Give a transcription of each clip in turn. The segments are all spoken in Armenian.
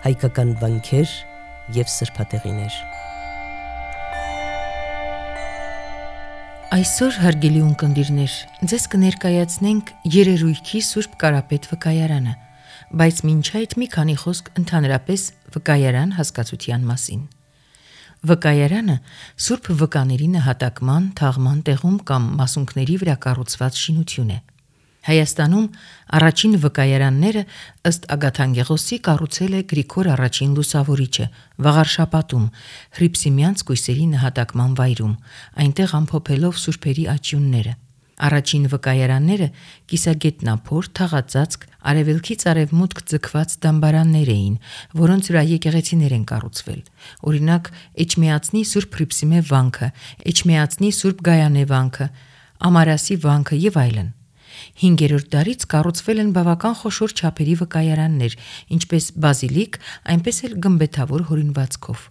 հայկական վանքեր և սրբատեղիներ։ Այսօր հարգելի ունկնդիրներ, ձեզ կներկայացնենք Երերույքի Սուրբ Կարապետ վկայարանը, բայց մինչ այդ մի քանի խոսք ընդհանրապես վկայարան հասկացության մասին։ Վկայարանը Սուրբ վկաների նահատակման, թաղման տեղում կամ մասունքների վրա կառուցված շինություն է։ Հայաստանում առաջին վկայարանները ըստ Ագաթանգեղոսի կառուցել է Գրիգոր առաջին Լուսավորիչը Վաղարշապատում, Հռիփսիմյանց կույսերի նահատակման վայրում, այնտեղ ամփոփելով սուրբերի աճյունները։ Առաջին վկայարանները կիսագետնափոր, թաղածածկ, արևելքից արևմուտք ձգված դամբարաններ էին, որոնց վրա եկեղեցիներ են կառուցվել։ Օրինակ Էջմիածնի Սուրբ Հռիփսիմե վանքը, Էջմիածնի Սուրբ Գայանե վանքը, Ամարասի վանքը եւ այլն։ 5-րդ դարից կառուցվել են բավական խոշոր չափերի վկայարաններ, ինչպես բազիլիկ, այնպես էլ գմբեթավոր հորինվածքով։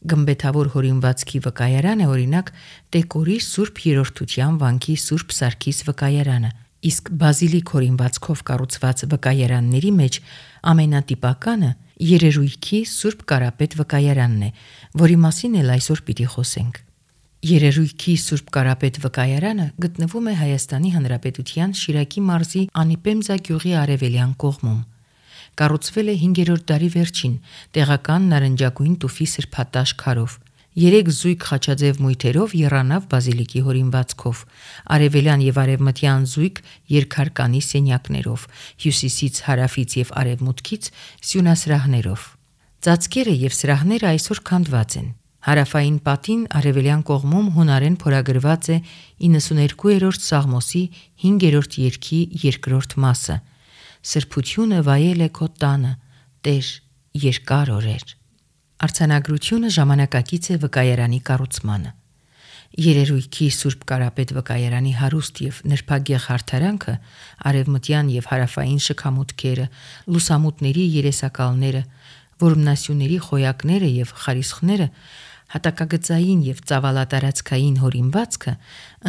Գմբեթավոր հորինվածքի վկայարանը օրինակ Տեկորի Սուրբ Երրորդության վանքի Սուրբ Սարգիս վկայարանը, իսկ բազիլիկ հորինվածքով կառուցված վկայարանների մեջ ամենատիպականը Երերույքի Սուրբ Կարապետ վկայարանն է, որի մասին էլ այսօր պիտի խոսենք։ Երերույքի Սուրբ Կարապետ վկայարանը գտնվում է Հայաստանի Հանրապետության Շիրակի մարզի Անիպեմզա գյուղի արևելյան կողմում։ Կառուցվել է 5-րդ դարի վերջին, տեղական նարնջագույն տուֆի սրբատաշ քարով, 3 զույգ խաչաձև մույթերով եռանավ բազիլիկի հորինվածքով, արևելյան եւ արևմտյան զույգ երկհարկանի սենյակներով, հյուսիսից, հարավից եւ արևմուտքից սյունասրահներով։ Ծածկերը եւ սրահները այսօր քանդված են։ Հարավային պատին արևելյան կողմում հունարեն փորագրված է 92-րդ Սաղմոսի 5-րդ երգի երկրորդ մասը. Սրբությունը վայել է քո տանը, Տեր, երկար օրեր։ Արձանագրությունը ժամանակակից է վկայարանի կառուցմանը։ Երերույքի Սուրբ Կարապետ վկայարանի հարուստ եւ նրբագեղ հարդարանքը, արևմտյան եւ հարավային շքամուտքերը, լուսամուտների երեսակալները, որմնասյուների խոյակները եւ խարիսխները, հատակագծային եւ ծավալատարածքային հորինվածքը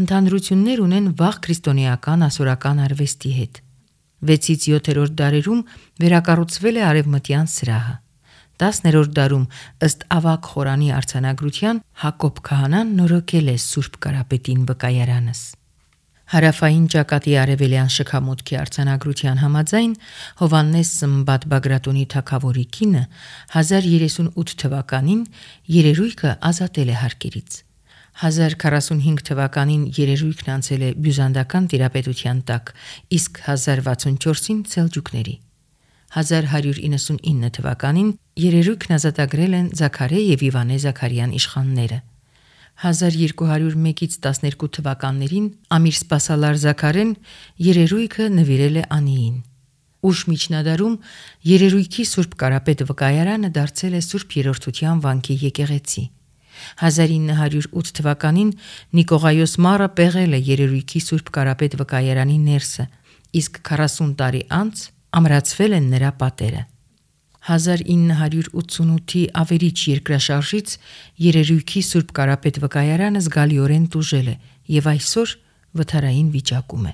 ընդհանրություններ ունեն վաղ քրիստոնեական ասորական արվեստի հետ։ 6-ից 7-րդ դարերում վերակառուցվել է արևմտյան սրահը։ 10-րդ դարում ըստ Ավագ խորանի արձանագրության Հակոբ քահանան նորոգել է Սուրբ Կարապետին վկայարանս։ Հարավային ճակատի արևելյան շքամուտքի արձանագրության համաձայն Հովհաննես Սմբատ Բագրատունի թագավորի կինը 1038 թվականին Երերույքը ազատել է հարկերից։ 1045 թվականին Երերույքն անցել է բյուզանդական տիրապետության տակ, իսկ 1064-ին Սելջուկների։ 1199 թվականին Երերույքն ազատագրել են Զաքարե եւ Իվանե Զաքարյան իշխանները։ 1201-ից 12 թվականներին Ամիր Սպասալար Զաքարեն Երերույքը նվիրել է Անիին։ Ուշ միջնադարում Երերույքի Սուրբ Կարապետ վկայարանը դարձել է Սուրբ Երրորդության վանքի եկեղեցի։ 1908 թվականին Նիկողայոս Մարը պեղել է Երերույքի Սուրբ Կարապետ վկայարանի ներսը, իսկ 40 տարի անց ամրացվել են նրա պատերը։ 1988-ի ավերիչ երկրաշարժից Երերույքի Սուրբ Կարապետ վկայարանը զգալիորեն տուժել է եւ այսօր վթարային վիճակում է։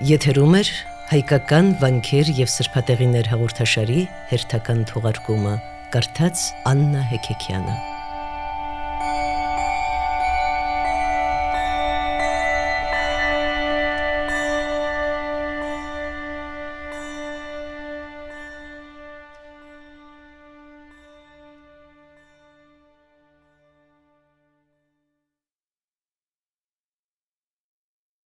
Եթերում է հայկական վանքեր և սրբատեղիներ հաղորդաշարի հերթական թողարկումը, կարդաց Աննա Հեքեքյանը։